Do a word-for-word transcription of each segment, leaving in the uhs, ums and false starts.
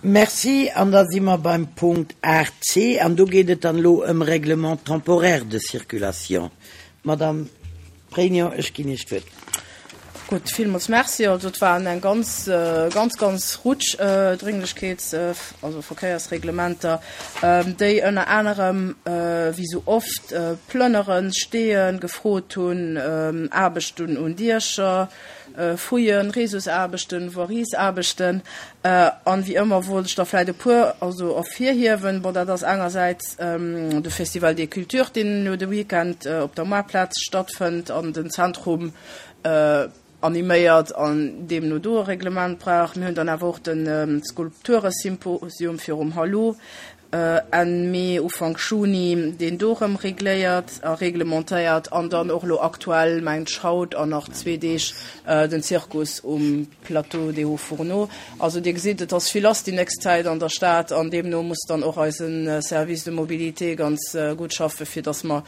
Merci. An da si mer beim Punkt aacht C an do geet et dann elo ëm Règlement temporaire de circulation. Madame Pregno, ech ginn Iech d'Wuert. Gutt, villmools Merci. Also et waren eng ganz, ganz, ganz Rutsch Dringlechkeets-, also Verkéiersreglementer, déi ënner anerem, wéi sou oft, Plënneren, Steeën gefrot hunn, Aarbechten un Diecher, Fouillen, Réseausaarbechten, Voiriesaarbechten. An wéi ëmmer wollt ech der vläit e puer also ervirhiewen. Bon, dat ass engersäits de Festival des Cultures, deen elo de Weekend op der Moartplaz stattfënnt an den Zentrum animéiert an deemno do e Reglement brauch. Mir hunn dann awer och de Skulpturesymposium virum Hallo Enn Mee, Ufank Juni, deen do erëm regléiert a reglementéiert an dann och elo aktuell, mengt ech, haut an nach zwee Deeg den Zirkus um Plateau des Hauts-Fourneaux. Also Dir gesitt, et ass vill lass déi nächst Zäit an der Stad an deemno muss dann och eise Service de mobilité ganz gutt schaffe fir datt mer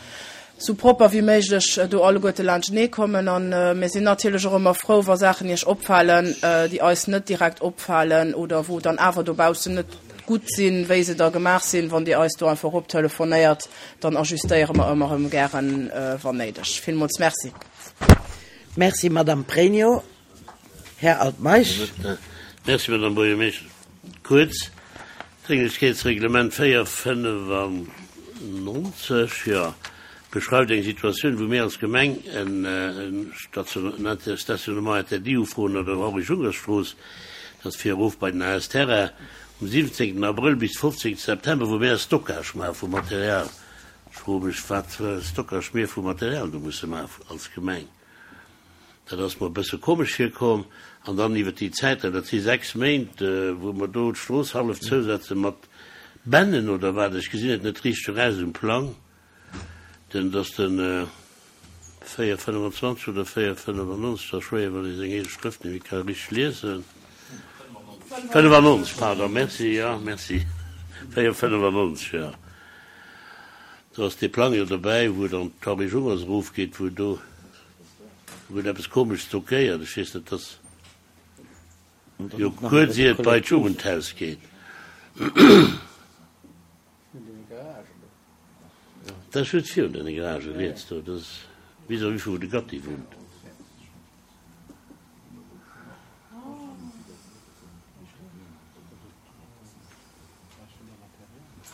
sou propper wéi méiglech do alleguerte laanschtenee kommen. A mir sinn natierlech och ëmmer frou, wa Saachen Iech opfalen, déi eis net direkt opfalen oder wou dann awer dobaussen net gutt sinn, wéi se da gemaach sinn. Wann Dir eis do einfach eroptelefonéiert, dann ajustéiere mer ëmmer erëm gären, wann néideg. Villmools Merci. Merci, Madame Pregno. Här Altmeisch. Merci, Madame Buergermeeschtesch. Kuerz, D'Drénglechkeetsreglement véier fënnefannonzeg, jo, beschreift eng Situatioun, wou mir als Gemeng en Stationnement interdit ufroen an der Henri-Junkers-Strooss, dat ass fir erof bei den A S Terrain, um siwwenzéngten Abrëll bis fofzéngte September, wou mir e Stockage maache vu Material. Ech froe mech, wat fir e Stockage mir vu Material do musse maachen als Gemeng. Dat ass mer e bësse komesch virkomm. An dann iwwer déi Zäit, dat si sechs Méint, wou mer do d'Strooss hallef zousetze mat Bännen oder wat, ech gesinn et net richteg eraus um Plang, denn dass de véier fënnefenzwanzeg oder véier fënnefennonzeg, dat ass schwéier, wann ee seng eege Schrëft net méi ka richteg liesen. Fënnefennonzeg, pardon, merci, jo, merci, véier fënnefennonzeg, jo. Do ass dee Plang jo dobäi, wou et an d'Henri Jungers erofgeet, wou do wou et eppes komesch stockéiert, ech weess net, dass jo kuerz ier et bei d'Jugendhaus geet. Dat ass just virun deene Garagen riets do, dat ass vis-à-vis vu wou de Gatti wunnt.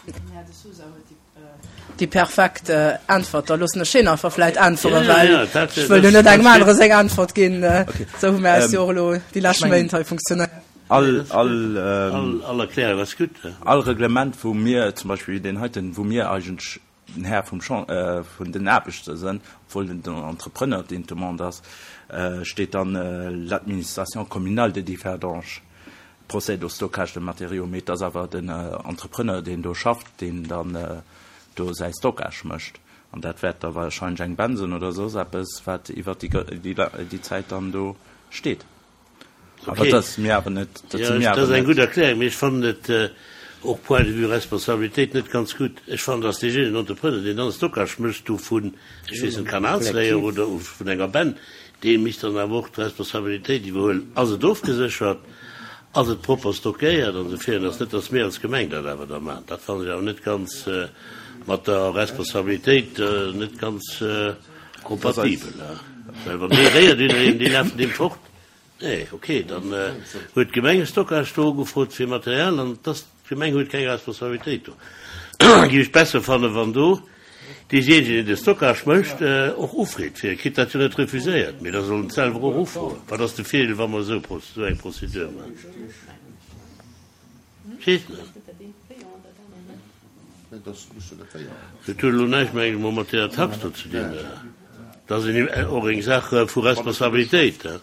Den Här De Sousa huet déi perfekt Äntwert. Da loossen ech hien einfach vläit äntweren, well ech wëll jo net engem anere seng Äntwert ginn. Esou hu mir eis jo och elo déi lescht Méint hei funktionéiert. All, all, All Erklärung ass gutt. All Reglement, wou mir, zum Beispill wéi deen heiten, wou mir eigentlech den Här vum Chan-, vun den Aarbechter sinn, obwuel den Entrepreneur deen d'Demande ass, steet dann l'administration communale de Differdange procède au stockage de matériaux, mee et ass awer den Entrepreneur, deen do schafft, deen dann do säi Stockage mécht. An dat wäert da wahrscheinlech eng Bensen oder soss eppes, wat iwwert déi Zäit dann do steet. Awer dat ass mir awer net, dat si mir Dat awer ass eng net. gutt Erklärung, mee ech fannen et och point de vue Responsabilitéit net ganz gutt. Ech fannen, dass deejéinegen Entrepreneur, deen dann Stockage mécht do vun, ech weess net, Kanalsréier oder vun enger Benn, dee misst dann awer och d'Responsabilitéit iwwerhuelen. Ass et ofgeséchert? Ass et propper stockéiert? An esou virun. Ass net, dass mir als Gemeng dat awer da maachen. Dat fannen ech awer net ganz mat der Responsabilitéit net ganz kompatibel. Well wann dee réiert iwwereen, déi lafen deem fort. Nee, okay, dann huet d'Gemeng e Stockage do ugefrot fir Material an dass d'Gemeng huet keng Responsabilitéit do. Géif ech besser fannen, wann do deejéinegen, deen de Stockage mécht, och ufreet fir. E kritt dat jo net refuséiert, mee da soll en et selwer och ufroen. Wat ass de Virdeel, wa mer esou esou eng Prozedur maachen? Ech weess net. Dat huet elo näischt, meng ech mol, mat deeër Tax do ze dinn. Dat ass och eng Saach vu Responsabilitéit.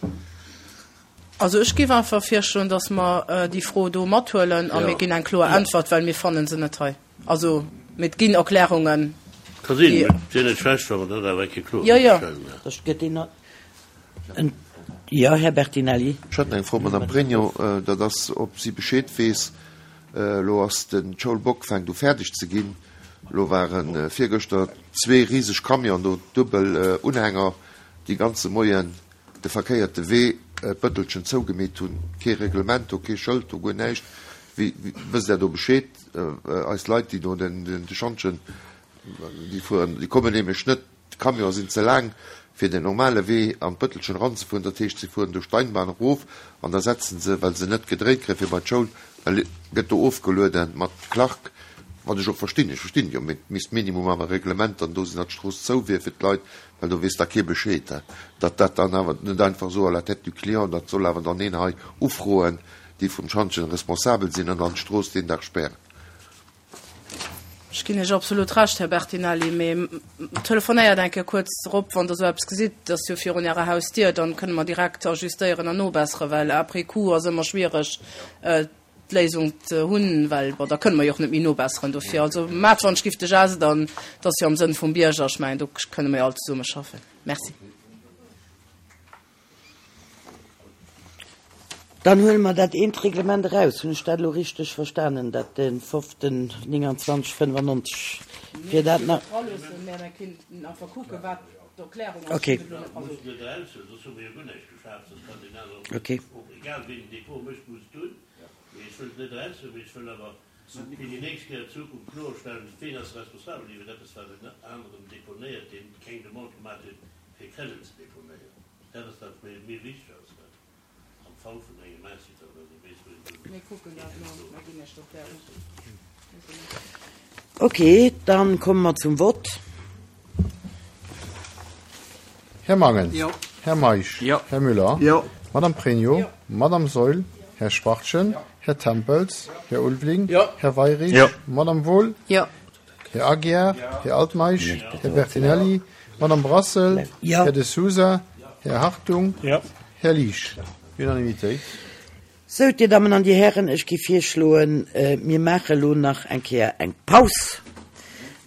Also ech géif einfach virschloen, dass mer déi Fro do mathuelen a mir ginn eng kloer Äntwert, well mir fanne se net hei. Also, mee et ginn Erklärungen, Ka sinn, déi. mee et wier net schlecht, wa mer dat awer eng Kéier kloer Jo, jo. stellen. Ech gëtt een en. Jo, Här Bertinelli. Ech hätt eng Fro, Madame Pregno, dat ass, ob si Bescheed weess. Elo ass de Schoul Bock fänkt u fäerdeg ze ginn. Elo ware virgëschter zwee riseg Camionen do, duebel Unhänger, déi ganze Moien de verkéierte Wee d'Bëttelchen zougemeet hunn. Kee Reglement do, kee Schëld do, guer näischt. Wéi wësst Der do Bescheed? Eis Leit, déi do den de Schantjen, déi fueren, déi kommen nämlech net, d'Camionen sinn ze laang, fir den normale Wee an d'Bëttelchen eranzefueren. Dat heescht, si fueren do Steinbahn erof an da setzen se, well se net gedréit kréien, fir bei d'Schoul, da gëtt do ofgeluede mat Clark, wat ech och verstinn, ech verstinn jo, mee et misst minimum awer e Reglement dann do sinn, datt d'Strooss zou wier fir d'Leit, well do weess da kee Bescheed, datt dat dann awer net einfach esou à la tête du client, dat soll awer dann een hei ufroen, déi vum Schantjen responsabel sinn an dann d'Strooss deen Dag spären. Ech ginn Iech absolut Recht, Här Bertinelli, mee telefonéiert eng Kéier kuerz erop, wann Der esou eppes gesitt, et ass jo virun Ärer Hausdier, dann kënne mer direkt ajustéieren an nobesseren, well après coup ass ëmmer schwiereg d'Léisung ze hunn, well, bon, da kënne mer jo och net méi nobesseren dofir. Also maacht wann ech giff de Geste an et ass jo am Sënn vum Bierger, ech mengen do kënne mer jo all zesumme schaffen. Merci. Dann huele mer dat eent Reglement eraus. Hunn ech dat elo richteg verstanen, dat de foften nénganzwanzeg fënnefannonzeg, fir dat nach. Okay. Okay. Am Fall vun engem Incident oder weess wou een do. Mir kucken dat no, mer ginn Iech d'Erklärung. Ok, dann komme mer zum Vott. Här Mangen. Jo. Här Meisch. Jo. Här Müller. Jo. Madame Pregno. Jo. Madame Saeul. Här Schwachtgen. Jo. Här Tempels. Jo. Här Ulveling. Jo. Här Weirich. Jo. Madame Wohl. Jo. Här Aguiar. Jo. Här Altmeisch. Jo. Här Bertinelli. Madame Brassel. Jo. Här De Sousa. Här Hartung. Jo. Här Liesch. Unanimitéit. Sou, Dir Dammen an Dir Hären, ech géif virschloen, mir maache elo nach eng Kéier eng Paus,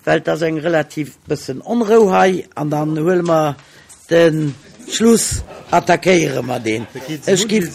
well et ass eng relativ bëssen Onrou hei, an dann huele mer de Schluss, attackéiere mer deen. Ech géif.